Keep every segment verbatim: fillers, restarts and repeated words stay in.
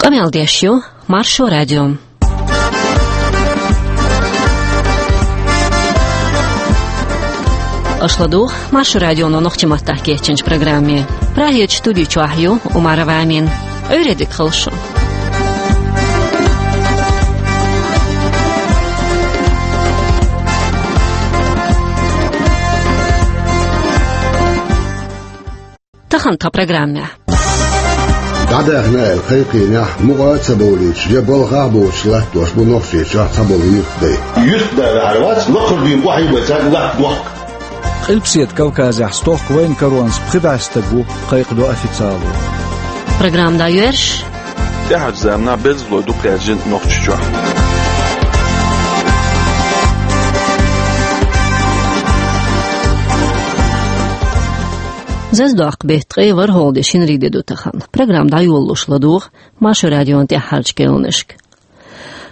Къамел деш ю Маршо радио. Аша ладугӀу Маршо радионо нохчийн маттахь кечйинчу программе. Прагерчу студи чохь ю Умарова Амина. Ӏуьйре дика хуьлда шун. Тахана тхан программехь. ДӀадаьхна аьлла кхайкхийнехь, мукъа а ца бовлуьйтуш, я балхахь а боцуш латтош бу Нохчийчохь цхьаболу юьртдай. Юьртда ваьхьар вац, лакхара дуьйна къахьийбай цаьрга латта дохк. Къилбаседа Кавказехь стохка вайна каронца пхи бӀе стаг ву, кхайкхадо официалан. Программа дӀайоьрзуш. ТӀаьхьарчу заманахь берзалой дукха гӀержина Нохчийчохь. Зазадоккху беттан ткъе ворхӀалгӀа де, шинарин де ду тахана. Программа дӀайолалуш ладугӀу Маршо радион тӀаьххьарчу керланашка.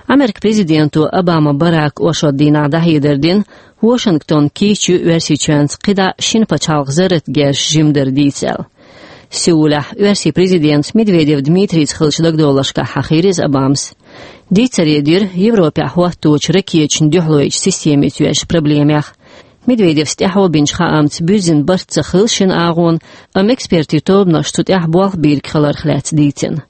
Америкин президента Обама Барака оршот дийнахь дӀахьедар дина, Вашингтон кийча ю Оьрсийчоьнца кхидӀа шина пачхьалкхан зарратан герзаш жимадар дийца аьлла. Сеулехь Оьрсийн президентца Медведев Дмитрийца хиллачу дагадовларшкахь хьахийра иза Обамас. Дийцаре дира Европехь хӀотточу ракеташна дуьхьалойчу системица йоьзначу проблемех. Медведевс тӀаьхьо бинчу хаамца буьззина барт ца хилла шина агӀонна, амма экспертийн тобанаш цу тӀехь болх бийриг хиларх лаьцна дийцина.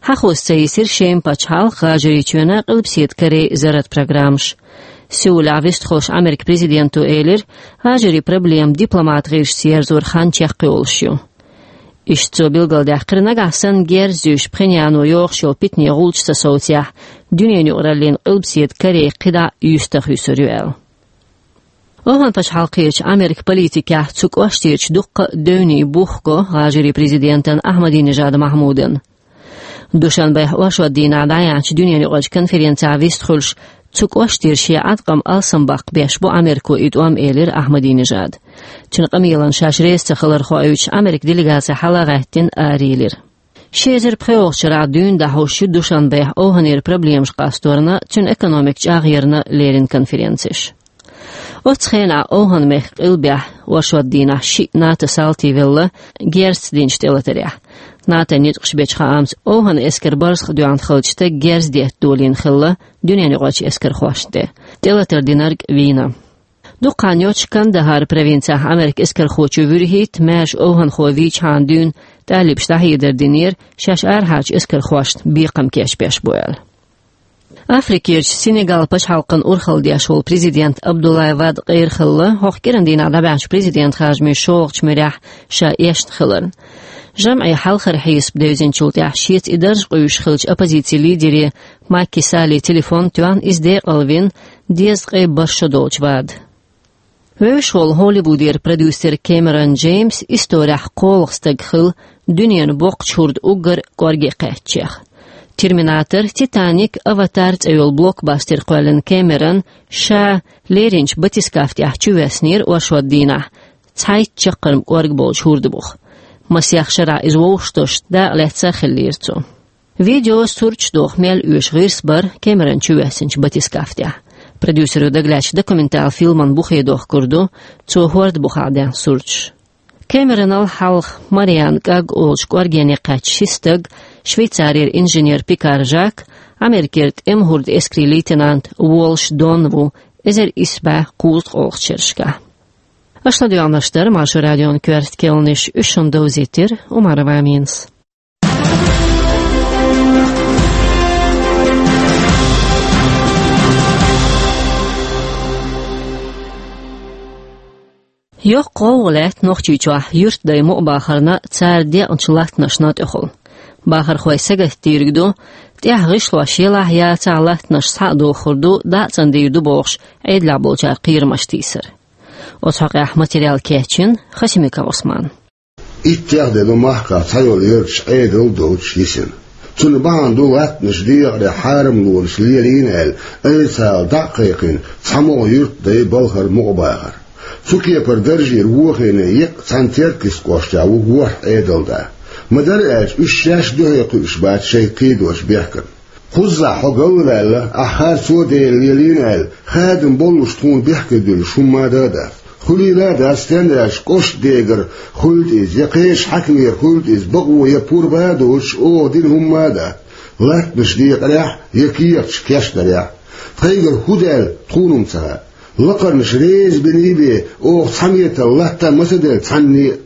Хьахоза ца йисира Шеман пачхьалкх, ГӀажарийчоьнан, Къилбаседа Корейн зарратан программаш. Сеулехь вистхуьлуш Америкин президента элира, ГӀажарийн проблема дипломатан гӀирсашца ерзоран хан чекхйолуш ю. Иштта цо билгалдаьккхира, нагахь санна герз а зуьйш, Пхеньяно йохуш йолу питане гӀулч ца совцахь, дуьненан юкъараллина Къилбаседа Корей кхидӀа юьстах юьсур ю аьлла. ОвхӀан пачхьалкхерчу Америкин политикехь цу кӀоштерчу дуккха а девнийн бух го ГӀажарийн президентан Ахьмадинежад Махьмудан. Душанбехь оршот дийнахь дӀаяьхьначу дуьненаюкъарчу конференцехь вистхуьлуш, цу кӀоштера шен Ӏаткъам алсамбаккха беш бу Америко и тӀом, элира Ахьмадинежада. Цуьнан къамелана шаьш реза ца хилар хоуьйтуш, Америкин делегаци хьала а гӀаьттина, арайиллира. Ши эзар пхоьалгӀачу шарахь дуьйна дӀахьуш ю Душанбехь овхӀанера проблемаш къасторна, цуьнан экономикан чӀагӀъярна леррина конференцеш. Оццу хенахь ОвхӀан-мехкан къилбехь оршот дийнахь шиъ НАТО-н салтий велла, герзаца динчу тӀелатарехь. НАТОн ницкъаша бечу хаамца, овхӀан эскаран барзакъ доьгӀна хиллачу стага герз детта долийна хилла дуьненаюкъарчу эскархошна тӀе. ТӀелатар динарг вийна. Дукха хан йоццуш Кандахар провинцехь Америкин эскархочо вуьрхӀитта, маьрша овхӀанхо вийчхьана дуьйна тӀалибаша дӀахьедар динера, шаьш арахьарчу эскархошна бекхам кечбеш бу аьлла. Африкерчу Сенегал пачхьалкхан урхалла деш волу президент Абдуллай Вад къера хилла, хӀокху кӀиран дийнахь дӀабаьхьначу президентан харжамийн шолгӀачу муьрехь ша эшна хиларна. ЖамӀе хьалхара хьесап девзинчул тӀаьхьа шеца и дарж къуьйсуш хиллачу оппозицин лидере Маки Салле телефон тоьхна, иза декъалвина, дезткъе бархӀ шо долчу Вада. Вевзаш волу Холливудера продюсер Кэмерон Джеймс исторехь кхоалгӀа стаг хилла дуьненан боккхачу хӀордан уггар кӀорге кхаьчнех. «Терминатор», «Титаник», «Аватар» цӀе йолу блокбастер кхоьллина Кэмерон ша леринчу батискафтехь чувоьссинера оршот дийнахь, цхьайтта чаккхарма кӀорга болчу хӀордан буха. Масех шарахь иза вовшахтосуш дакъалаьцна а хиллера цо. Видео, сурташ доху мел оьшу гӀирс бара Кэмерон чувоьссинчу батискафтехь. Продюсеро дагалаьцначу документалан фильман бухе дохкур ду цо хӀордан бухахь даьхна сурташ. Кэмеронал хьалха Мариан кӀаг олучу кӀоргене кхаьчна ши стаг, Швейцарера инженер Пикар Жак, Америкера тӀеман хӀордан эскарийн лейтенант Волш Дон ву эзар исс бӀе кхузткъолгӀачу шерашкахь. Аша ладоьгӀнарш дара Маршо радион коьрта керланаш, уьш шуна довзийтира Умарова Аминас. Йоккха гӀовгӀа лаьтта Нохчийчохь юьртдай мукъабахарна, цара декъначу латтанашна тӀехула. Бахархой сагатдийриг ду, тӀехь гӀишлош елахь а яцахь а, латтанаш схьа а дохур ду, дӀа а цӀандийр ду бохуш, Ӏедалехь болчара кхерамаш тийсар. Оцу хьокъехь материал кечйина Хасимиков Ӏусмана. Иттех де ду махкахь цхьайолу ярташ Ӏедал доцуш йисина. Цунна бахьана ду латтанаш декъаре хьарамлонаш лелийна аьлла, айса дӀа а кхайкхина, цхьамогӀа юьртдай балхара мукъабахар. Цу кепара даржера вохийна еккъа цхьана Теркйист кӀоштехь ву ворхӀ Ӏедалда. Ма-дарра аьлча, уьш шаьш дуьхьал кхуьуш бац шайн кхийдочу бехкана. Кхузахь хьо галваьлла, ахь харцо а дела лелийна аьлла, хадам боллуш тхуна бехке дуьллуш хӀумма а дан а дац. Хуьлийла а дац, стенна аьлча кӀоштан дегара хуьлда иза, я кхечу хьаькамера хуьлда иза, бакъо я пурба а доцуш, оха дина хӀумма а дац. Латтанаш декъарехь я кехаташ кечдарехь. Тхайгара хӀун даьлла тхуна-м ца хаьа. Лакхарнаш реза бина бен, оха цхьа метр латта а ма ца делла цхьанне а.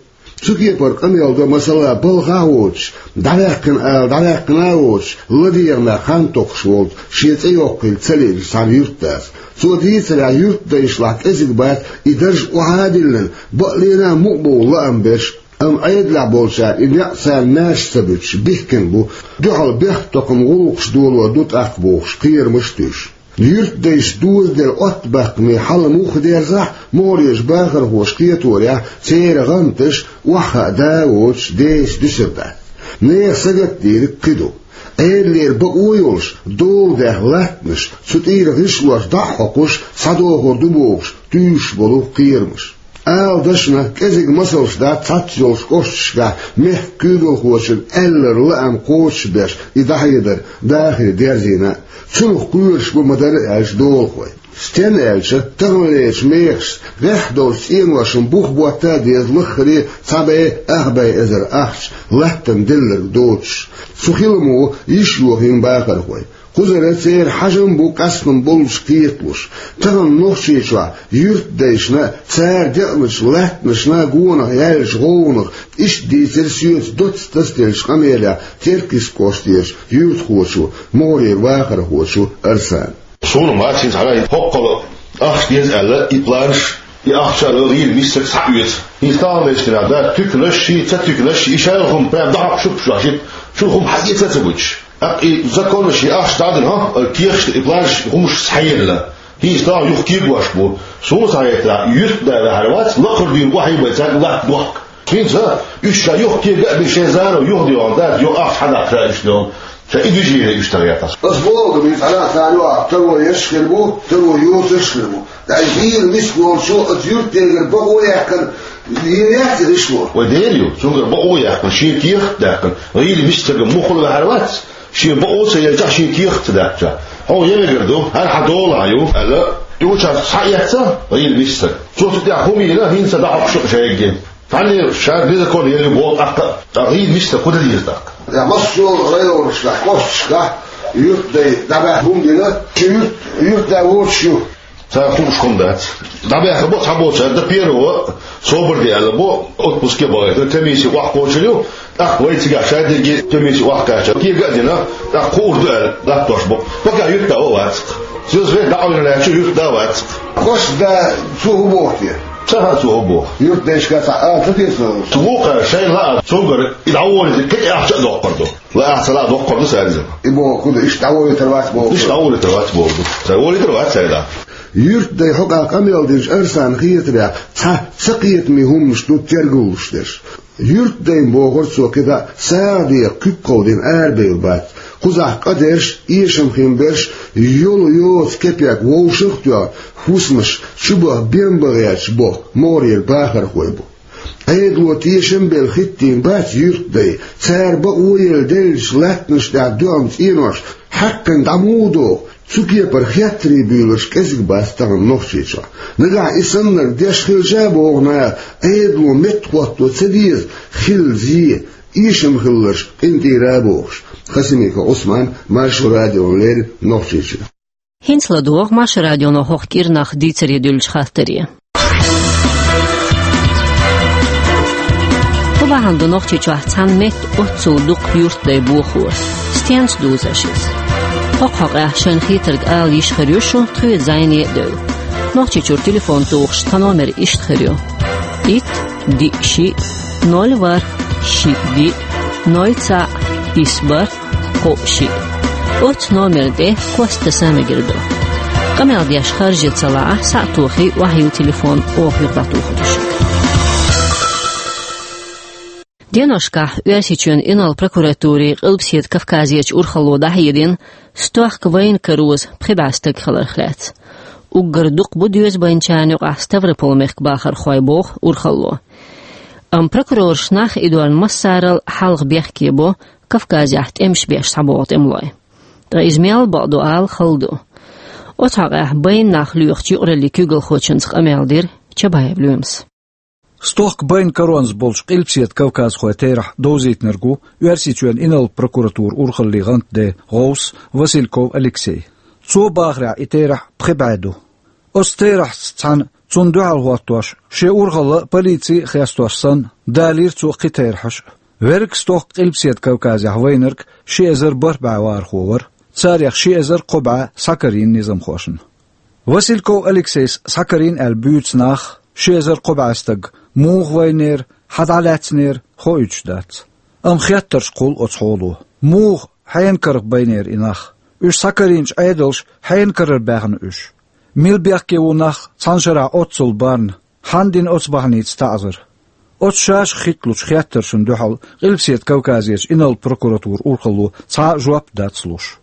Цу кепара къамел до, масала, балхахь а воцуш, дӀаваьккхина ала дӀаваьккхина а воцуш, ладегӀа нах хан токхуш волчу, шен цӀе йоккхийла ца лиъначу цхьана юьртдас. Цо дийцарехь, юьртдайшлахь кӀезиг бац и дарж охьа а диллина, бакъ лена а мукъа бовла лаам берш. Амма Ӏедалехь болчара и некъ царна маьрша ца буьтуш бихкина бу, дуьхьал бехктокхаман гӀуллакхаш долор ду тӀаккха бохуш, кхерамаш а туьйсуш. Юьртдайша дозаделла оттабаккхаме хьал муха дерзахь а, могӀарерчу бахархоша кхеторехь, церан гӀанташ охьахаа да а воцуш, деса дуьсур дац. Нехан сагатдийриг кхин ду. Ӏедалера бакъо а йолуш, дола даьхна латтанаш, цу тӀера гӀишлош дӀа а хьокхуш, схьадохур ду бохуш, туьйсуш болу кхерамаш. Ала дашна, кӀезиг масалш дац цхьацца йолчу кӀошташкахь мехкан куьйгалхочун аьлларан лаам кхочушбеш и дӀахьедар дахаре дерзийна а. Цунах кхоьруш бу ма-дарра аьлча долахой. Стенна аьлча, таханлерчу мехашца гӀеххьа долчу цӀеношна бух ботта а деза лаххаре а цхьа бӀе, ах бӀе эзар ахча, латтана делларг доцуш. Цу хиламо йиш йохийна бахархой. Кхузара церан хьажам бу къастам боллуш кхеталуш. Тахана Нохчийчохь юьртдайшна а, цара декъначу латтанашна а гонах яьллачу гӀовгӀанах, иштта дийцира соьца доцца тасаделлачу къамелехь Теркйист кӀоштарчу юьртахочо, могӀарера вахархочо Арсана. Суна ма хӀинца хьалха хӀоккхул ахча деза аьлла, и планаш, и ахча а ло, гӀийла миссарг схьаоьцу. ХӀинца таханлерчу дийнахь дац туьканаш, ши ца туьканаш, и шайла хӀума прям дӀахьокхуш а шу хӀума хьаэца а ца буьтуш. ТӀаккха и законаш, и ахча дӀа а дина, хӀа, кехаш и планаш, хӀумаш схьаелла. ХӀинца тахана юха кегош бу. Суна схьахетарехь, юьртда ваьхьар вац, лакхара дуьйна охьайбай цаьрга латта дохка. ХӀинца уьш ша юха кега а бина, шайн зама юха дегӀан дац, юха ахча хьадаккха ша уьш дегӀан. Ша и движение уьш тахетарехь. Ас боху, мин цхьана цара юха таро еш хир бу, таро йоцуш хир бу. ТӀаккха гӀийла миска волчо оцу юьртдегара бакъо а яьккхина, йина яц и гӀишло. Вай Дела ю, цуьнгара бакъо а яьккхина, шен кехат а даьккхина, гӀийла миска стага муххал ваьхьар вац, шен бакъо а ца елчахь, шен кехат а ца даьккхичахь. Хьо я мегар ду, хӀара хьан долахь ю, аьлла, и участок схьаэцна, гӀийла миска стаг. Цо цу тӀехь хӀума йина, хӀинца дӀахьокхуш а шайгахь. Цхьанне ша незаконно елла ю боху тӀаккха, ткъа гӀийла миска стаг хӀун дан деза тӀаккха? Я массо а районашкахь, кӀошташкахь юьртдай дӀабаьхьа хӀума дина, ши юьрт, юьртда воцуш ю. Цара хууш хӀума дац. ДӀабаьхьа бо цхьаболчара, дан первого собар де аьлла бо, отпуске бахийтина, комисси охьакхочур ю, тӀаккха вай цигахь шадерриге комисси охьакхаьчна, кега а дина, тӀаккха хуур ду аьлла, латтош бо. Пока юьртда а вац-кх. Соьца вай дӀакъевлина лаьтташ юьртда а вац-кх. Кхош да цо хӀун боху те? Ца хаьа цо хӀун боху. Юьртдайшка цхьа а ца тесна? Цу вукхара шайна лаахь, цуьнгара и дӀаволийта кхин а ахча а доккхур ду. Лаахь ца лаахь доккхур ду цара иза. И боху хӀун ду, иштта дӀаволийтар вац боху. Иштта дӀаволийтар вац боху ду. Цара волийтар вац цара. Юьртдай хьокъехь къамел динчу Арсана хетарехь, цхьа ца кхетаме хӀуманаш ду тергалуш дерш. Юьртдайна, бохура цо, кхидӀа а сагӀа деха куьг кховдийна арабевлла бац. Кхузахь къа дерш, эшам хин берш, йолу йоцу кепек вовшах а тоьхна, хӀусамаш чубаха бен бан гӀерташ боху могӀарера бахархой бу. Ӏедало тешам а белла хӀиттийна бац юьртдай, цара бакъо а елла деллачу латтанаш тӀехь доьгӀна цӀенош хьаькхна дӀа муха доху, цу кепара хеттарий буьйлурш кӀезиг бац тахана Нохчийчохь. Нагахь и саннарг деш хилча а, боху наха, Ӏедало меттахӀотто ца деза, хилла зе, эшам хилларш къинтӀера а бохуш. Хасимиков Ӏусман, Маршо радиона леррина, Нохчийчоь. ХӀинца ладогӀа Маршо радионо хӀокху кӀирнах дийцаре дуьллучу хаттаре. ХӀун бахьана ду Нохчийчохь цхьана метта оццул дукха юьртдай бохо? Стенца дузу аша иза? ХӀокху хьокъехь шайна хетарг ала йиш хир ю шун, тхоьца зӀене а девлла. Нохчийчуьра телефон тухуш тхан номер иштта хир ю: итт, диъ, шиъ, ноль, ворхӀ, шиъ, диъ, ноль, цхьаъ, исс, бархӀ, кхоъ, шиъ. Оццу номерна тӀе кост таса мегар ду. Къамел деш харжа ца лаахь, схьа а тохий, охьайилла телефон, оха юха дӀатухур ду шуьга. Деношкахь Оьрсийчоьнан инарла прокуратурин Къилбаседа Кавказерчу урхалло дӀахьедина стохка вайна кароза пхи бӀе стаг хиларх лаьцна. Уггар дукха бу доьза байначарна юкъахь Ставрополь-мехкан бахархой, боху урхалло. Амма прокурораш нах идорна массарал хьалха бехке бо Кавказехь тӀемаш беш схьабогӀу тӀемалой. Ткъа иза мел бакъ ду ала хала ду. Оцу хьокъехь байна нах лоьхучу юкъараллин куьйгалхочуьнца къамел дира Чабаев Лоьмас. Стохка байна каронца болчу Къилбаседа кавказхойн терахь довзийтинарг ву Оьрсийчоьнан инарла прокуратуран урхаллин гӀантден гӀовс Васильков Алексей. Цо бахарехь, и терахь пхи бӀе ду. Оцу терахьца цхьаьна цунна дуьхьал хӀоттош, шен урхалла а, полици а хестош санна, далийра цо кхин терахьаш а. Верриг стохка Къилбаседа Кавказехь вайнарг ши эзар бархӀ бӀе вахархо вара, царех ши эзар кхо бӀе схьакарийна низамхошна. Васильков Алексейс схьакарийна аьлла буьйцу нах, ши эзар кхо бӀе стаг, муха вайнера, хьан дӀалаьцнера, хоуьйтуш дац. Амма хеттарш кхуллу оцу хьоло. Муха, хьенан карах байнера и нах? Уьш схьакарийначу Ӏедалша хьенан карара баьхна уьш? Мила бехке ву нах цхьана шарахь оццул барна? Хьанна дина оцу бахьаница таӀзар? Оцу шаьш хӀитталучу хеттаршна дуьхьал Къилбаседа Кавказерчу инарла прокуратуран урхалло цхьа а жоп дац луш.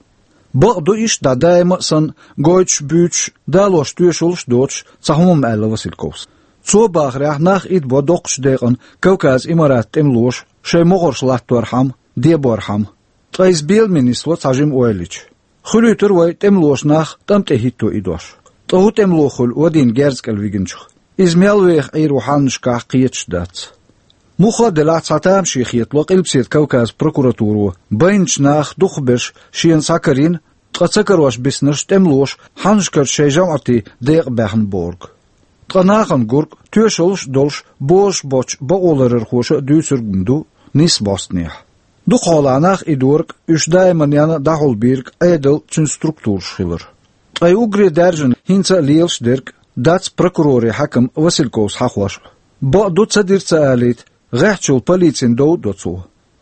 Бакъ ду, иштта дӀа даима а санна, гойтуш, буьйцуш, далош тоьшаллаш а доцуш, цхьа хӀума аьлла Васильковс. Цо бахарехь, нах идабо доккхачу декъана Кавказан Имаратан тӀемалоша шайн могӀарш латторхьама, деборхьама. Ткъа иза беламе нисло цхьа жима ойла йича. Хуьлуьйтура вай тӀемалоша нах тӀам тӀе хӀитто идош. Ткъа хӀун тӀемало хуьлу вадийна герз кӀел вигначух? Иза мел веха Ӏийр ву хьаннашкахь, кхеташ дац. Муха а делахь, цхьа тамашийна хетало Къилбаседа Кавказан прокуратуро байначу нах дукхахберш шена схьакарийна, ткъа ца карош биснарш тӀемалоша хьаннашкарчу шайн жамӀатийн декъа баьхна бохург. Ткъа нахана гург, тоьшаллаш а долуш, бозуш боцчу бакъоларъярхоша а дуьйцург ма ду, нийса бӀостанехьа. Дукха хьолахь нах идорг, уьш даиманна дӀахьулбийриг Ӏедал, цуьнан структураш хилар. Ткъа и уггаре даьржина, хӀинца а лелаш дерг дац прокурорийн хьаькам Васильковс хьахош а. Бакъ ду, ца дира ца алийта, гӀеххьачул полицина дов а до цо.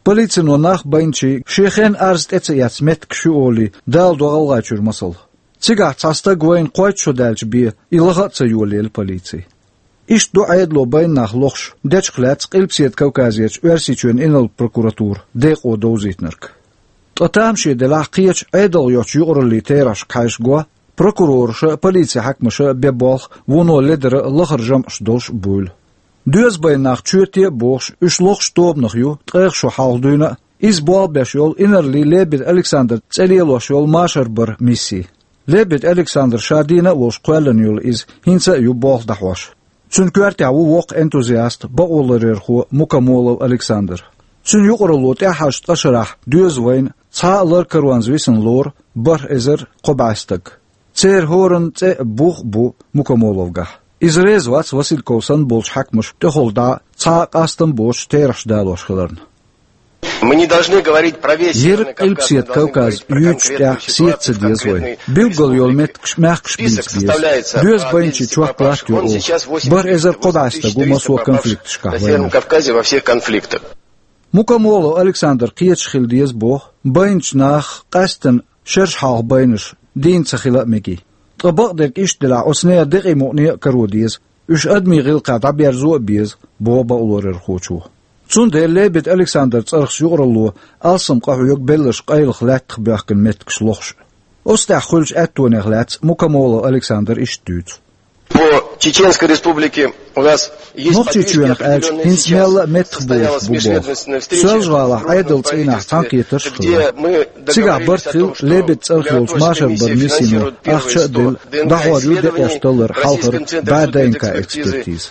Полицино нах байначийн шен хенахь арз тӀе ца эцна меттигаш ю олий, даладо ГӀалгӀайчуьра масал. Цигахь цхьа стаг вайна кхойтта шо даьлча бен, и лаха а ца йолаелла полици. Иштта ду Ӏедало байна нах лохуш, дечух лаьцна Къилбаседа Кавказерчу Оьрсийчоьнан инарла прокуратуран декъо довзийтинарг. Ткъа тамашийна делахь, кхечу Ӏедалх йоцчу юкъараллин терахьашка хьаьжча, прокурораша а, полицин хьаькамаша а бен болх вуно ледара а, лахара жамӀаш долуш а буйла. Доьза байна нах чоьте а бохуш, уьш лохучу тобанах ю ткъех шо хьалха дуьйна а, иза болх беш йолу инарлийн Лебедь Александр цӀе лелош йолу машар баран мисси. Лебедь Александр ша дийна а волуш кхоьллина йолу иза, хӀинца а ю болх дӀахьош. Цуьнан коьртехь ву воккха энтузиаст, бакъоларъярхо Мукомолов Александр. Цуьнан юкъаралло тӀаьххьарчу ткъа шарахь доьза вайна цхьа а лар каронца висина лору бархӀ эзар кхо бӀе стаг. Церан хӀоранна цӀе а, бух а бу Мукомоловгахь. Иза реза вац Васильковс санна болчу хьаькамаша тӀехула дӀа цхьа а къастам боцуш терахьаш далош хиларна. Мы не должны говорить про весь Северный Кавказ, мы должны говорить про конкретную ситуацию, конкретный список составляется. Дерриг Къилбаседа Кавказ юьйцучу тӀехь сетца деза вай. Билггал йолу меттигаш, маьхкаш бийца беза. Доьза байначийн чохь латтор оха. БархӀ эзар кхо бӀе стаг ву массо а конфликташкахь вайнарш. Мукомолов Александр кхеташ хила деза боху, байначу нах къаьсттина шераш хьалха байнарш дийна ца хила а мегий. Ткъа бакъдерг иштта делахь, оцу нехан декъий мукъане а каро деза, уьш адамийн гӀиллакхехь дӀаберзо а беза, боху бакъоларъярхочо. Цундела Лебедь Александран цӀарах юкъаралло алсам къахьоьгу белларш къайлаха лаьттах боьхкина меттигаш лохуш а. Оцу тӀехь хуьлучу аьттонех лаьцна Мукомолов Александр иштта дуьйцу. По Чеченской Республике у нас есть... Нохчийчоьнах аьлча, хӀинца мелла а меттахболуш бу боху. Соьлжа-ГӀалахь Ӏедалан цӀийнахь цхьаьнакхетарш а хилла. Цигахь барт хилла Лебедь цӀарах йолчу машар баран миссино ахча а делла, дӀахьор ю декъеш даларан хьалхара бӀе ДНК-экспертиза.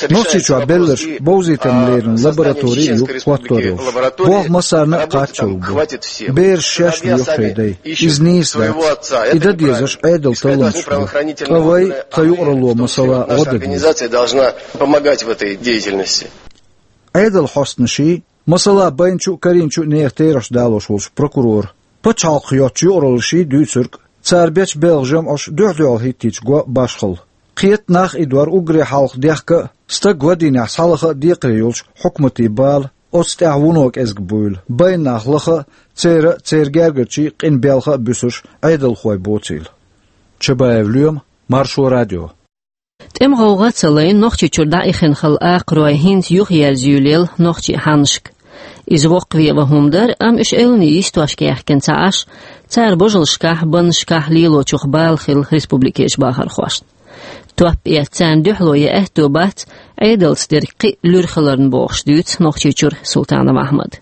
Нохчийчохь белларш бовзийтарна леррина лаборатори а ю хӀоттор йолуш. Болх массарна а кхаччалц бу. Бераш шаьш лоьху шайн дай. Иза нийса дац. И дан дезарш Ӏедалан талламаш ду. Ткъа вай, тхан юкъаралло, масала, гӀо дан деза. Ӏедалан хьостанаший, масала, байначу а, карийначу а нехан терахьаш далош волчу прокуроран, пачхьалкхах йоцчу юкъараллаший дуьйцург, цара бечу белхан жамӀаш дуьхь-дуьхьал хӀиттийча го башхалла. Кхета нах идор уггаре хьалха дехка а, стаг вадийнехь схьалаха а декхаре йолчу хьукматийн бала, оцу тӀехь вуно кӀезиг буйла, байна нах лаха а, церан а, церан гергарчийн а къинбелха а буьсурш Ӏедалхой боцийла. Чабаев Лоьма, Маршо радио. ТӀеман гӀовгӀа а ца лайна, Нохчийчуьра дӀаихина хилла акхарой хӀинца юхаерза юьйлаелла нохчийн хьаннашка. Иза воккхаве ван хӀума дара, амма уьш элланийн йистошка яьхкина ца Ӏаш, цара божаллашкахь, баннашкахь лелочух бала хилла республикерчу бахархошна. Топ эцна царна дуьхьало ян аьтто бац, Ӏедалца дерг кхин а луьра хиларна, бохуш дуьйцу Нохчийчуьра Султанов Ахьмада.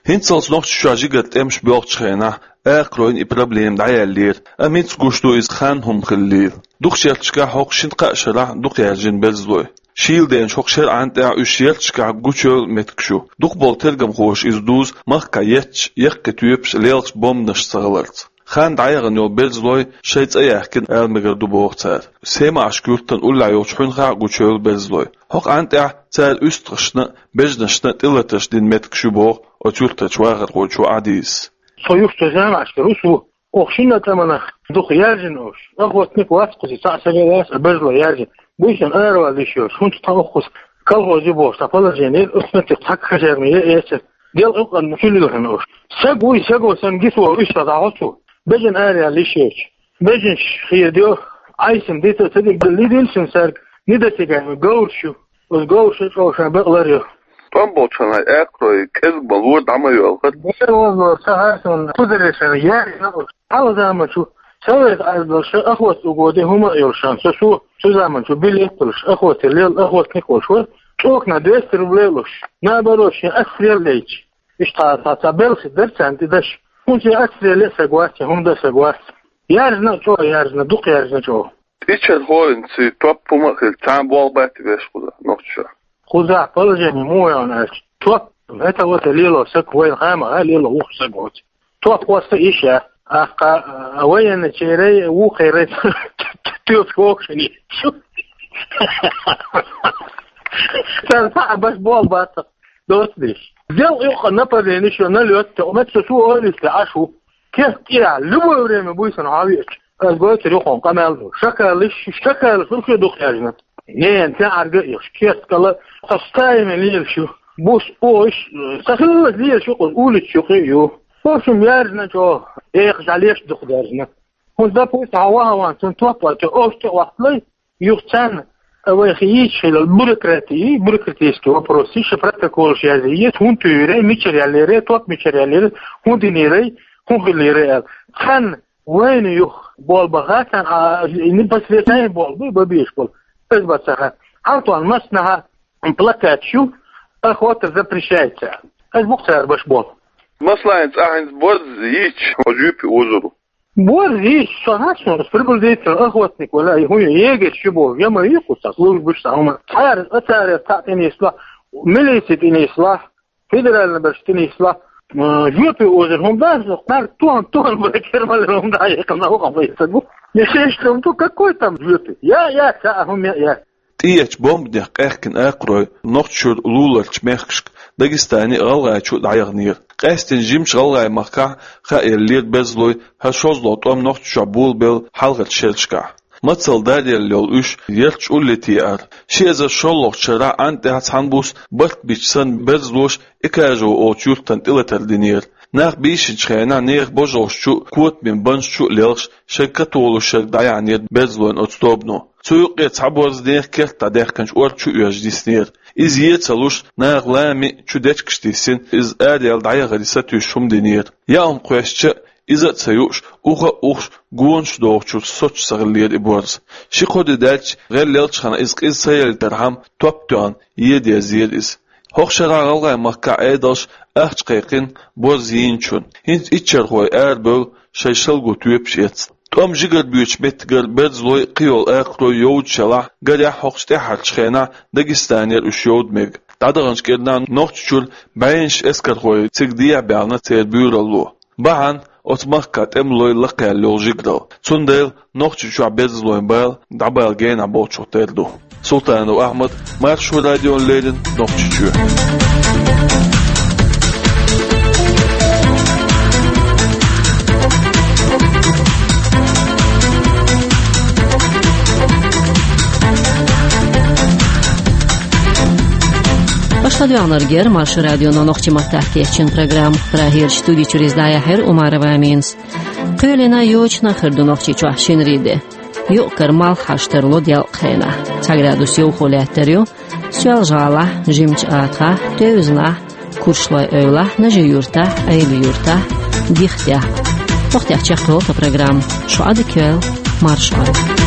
ХӀинццалц Нохчийчохь жигара тӀемаш боьлхучу хенахь акхаройн и проблема дӀаяьллера, амма хӀинца гуш ду иза хан хӀума хиллера. Дукхачу керташкахь хӀокху шина-кхаа шарахь дукха яьржина берзалой. Шийла деначу хӀокху шеран тӀехь уьш ярташкахь гучуйойла меттигаш ю. Дукхахболу тергамхоша иза дузу махкахь етташ яккхий тоьпаш лелхаш бомбанаш ца хиларца. Хан дӀаяхана йолу берзалой шайн цӀе яьккхина ала мегар ду боху цара. Семашка юьртан уллехь йолчу хьуьнхахь а гучуйойла берзалой. ХӀокху хан тӀехь цара уьстагӀашна а, бежанашна а тӀелатарш дина меттигаш ю боху оцу юьртарчу вахархочо Ӏадийзас. Со юххе заманахь ву со. Оха шина а тӀаманах дукха яьржина уьш. Охотник вац кхуза, цхьаъ сага вац, а берзалой яьржина. Буьйсанна аравала йиш йоцуш, хӀунда тхан оххуз колхоз ю бохуш, цхьа положение, оцу меттехь цхьа хазарма е эцар. Делкъа юкъанна чу лилхина уьш. Саг вуй, саго санна гиса вогӀу, уьш ца дӀахьо цо. Бежана аравала йиш йоцуш. Бежанаш хедайо, Ӏайсина дита а ца дигна, лидина шуна сарг, нида цига говраш ю. Оцу говрашна чӀогӀа шайн бакъ лар ю. ТӀом болчу хенахь акхарой кӀезиг ма лора, дӀа ма йоьлхура. Дера возлора, ца хьарсунна, кхузара шайна яьржина уьш. Хьалха заманчу совет Ӏаьрбалша охота угоди хӀума а йолуш сан, со, со, цу заманчу билет а болуш, охота лела, охотник а волуш вара, цӀокана двести рублей а луш, наоборот, шен отстрел а яйча. Иштта цхьа, цхьа белхи дара царна тӀе даш. ХӀунда шен отстрел а саг вац, хӀунда а саг вац. Яьржина а чӀогӀа, яьржина, дукха яьржина чӀогӀа. Иччархой, цуьнан топ хӀума а хилла, цхьа а болх бац вешан кхузахь Нохчийчохь. Кхузахь положение муха ю аьлча, топ, хӀета-вета лело саг вайна хьамаха лело вухуш саг воцу. Топ хӀоста йиш яц. Аккха, а, военныйчерий, вукхерий тоьпаш кокшани. Цара цхьаъ баш болх бац. Доцу деш. Делкъа юкъа нападение шо налёт, мет со шу ойла йиста Ӏаш ву. Керт тӀехь, любое время буьйсанна хьан веача. Ас гойтур ю хьуна къамел ду. Шакалаш, шакалаш, уьш ю дукха яьржина. Нена, цхьа Ӏарга а йолуш, керт кала, со стаина лелаш ю. Бус, ош, ца хилла лелаш ю, улича юкъа ю. В общем, яьржина чӀогӀа, экха жӀалеш дукха даьржина. ХӀунда, допустим, хьан ваха ван, цунна топ а, цо ош тӀе а вахталай, юха царна, а, вайх йийцаш хилла бюрократия, бюрократический вопрос, иштта протоколаш язъе, хӀунда туьйрай, мичара яллерай, топ мичара яллерай, хӀун динерай, хӀун хиллерай аьлла. Царна вайна юха болх баха, царна, а, непосредственно болх бу, бан безаш болу. Иза бац цара. Хьал тхуна массанхьа плакаташ ю, охота запрещается. Иза бу-кх цара баш болх. Масала, цкъа хӀинца борз йийцча, хьо жоьпе озур ву. Борз йийцча, со хьан суна, ас приблизительно охотник вала, и хӀун ю, егерь ю боху, я ма йийкху сан, службаш сан, хӀума. Цара, а цара цхьаъ тӀенислахь, милици тӀенислахь, федеральный берш тӀенислахь, м, жоьпе озур хӀума дац, кхар тон, тон бара кермалера хӀума дӀа а яьккхина, вахана вай ца гу. Я шеш хӀума ду, какой там жоьпе? Я, я, цхьа а хӀума я, я. ТӀеэцначу бомбанех къехкина акхарой Нохчийчуьра луларчу мехкашка, Дагестане а, ГӀалгӀайчу а дӀаяханера. Къаьсттина жимачу ГӀалгӀай-махкахь хаа еллера берзалой хӀара шозлагӀа тӀом Нохчийчохь болабелла хьалхарчу шерашкахь. Мацалла даръелла йолу уьш ярташ улле теара. Ши эзар шоллагӀчу шарахь Ӏан тӀехь цхьана буса барт бича санна берзалоша Экажево олучу юьртана тӀелатар динера. Нах бийшинчу хенахь нехан божаршна чу а, котамийн банташна чу а лелхаш, шайн католуш шерг дӀаяьхьнера берзалойн оцу тобано. Цу юккъе цхьа борз нехан керта дӀадаьхкинчу ор чу оьжна диснера. Иза е ца луш, наха лами чу дечигаш диссина, иза араяьлла дӀаяхаре сатуьйсуш хӀума динера. Яа хӀума кхоьссича а, иза а ца юуш, уха а ухуш, гонаш дохучуьра соцуш ца хиллера и борз. Ши-кхо де даьлча, гӀелъелчхьана иза къиза ца елийтархьама, топ тоьхна, еда езара иза. ХӀокху шарахь ГӀалгӀай-махкахь Ӏедалша ахча кхайкхина борз йийначунна. ХӀинца иччархой арабевлла шайн шалгӀа тоьпаш эцна. ТӀом жигара боьдучу меттигара берзалой а, кхийолу акхарой йовдаш ялахь, гарехь, хӀокхучу тӀаьххьарчу хенахь Дагестанера уьш йовда мега. ДӀадаханчу кӀирнахь Нохчийчуьра бӀеннаш эскархой цига дехьа баьхна церан буьйралло. Бахьана оцу махкахь тӀемалой лакхаьлла йолу жигаралла. Цундела Нохчийчохь берзалойн бала дӀабала генахь болчух тера ду. Султанов Ахьмад, Маршо радиона леррина, Нохчийчоь. Аша ладоьгӀнарг яра Маршо радион нохчийн маттахь кечйина программа. Прагерчу студи чуьра иза дӀаяьхьира Умарова Аминас. Кхоьлина йочана хир ду Нохчийчохь шинарин де. Юкъ-кара малх хьаштарло делкъа хенахь. Цхьа градус йовхо лаьттар ю Соьлжа-ГӀалахь, Жимачу АтагӀахь, Тевзанахь, Куршлой-Эвлахь, Нажи-Юьртахь, Ӏели-Юьртахь, Дихтехь. ХӀокху тӀехь чекхйолу тхан программа. Шу Ӏадика йойла, марша Ӏойла.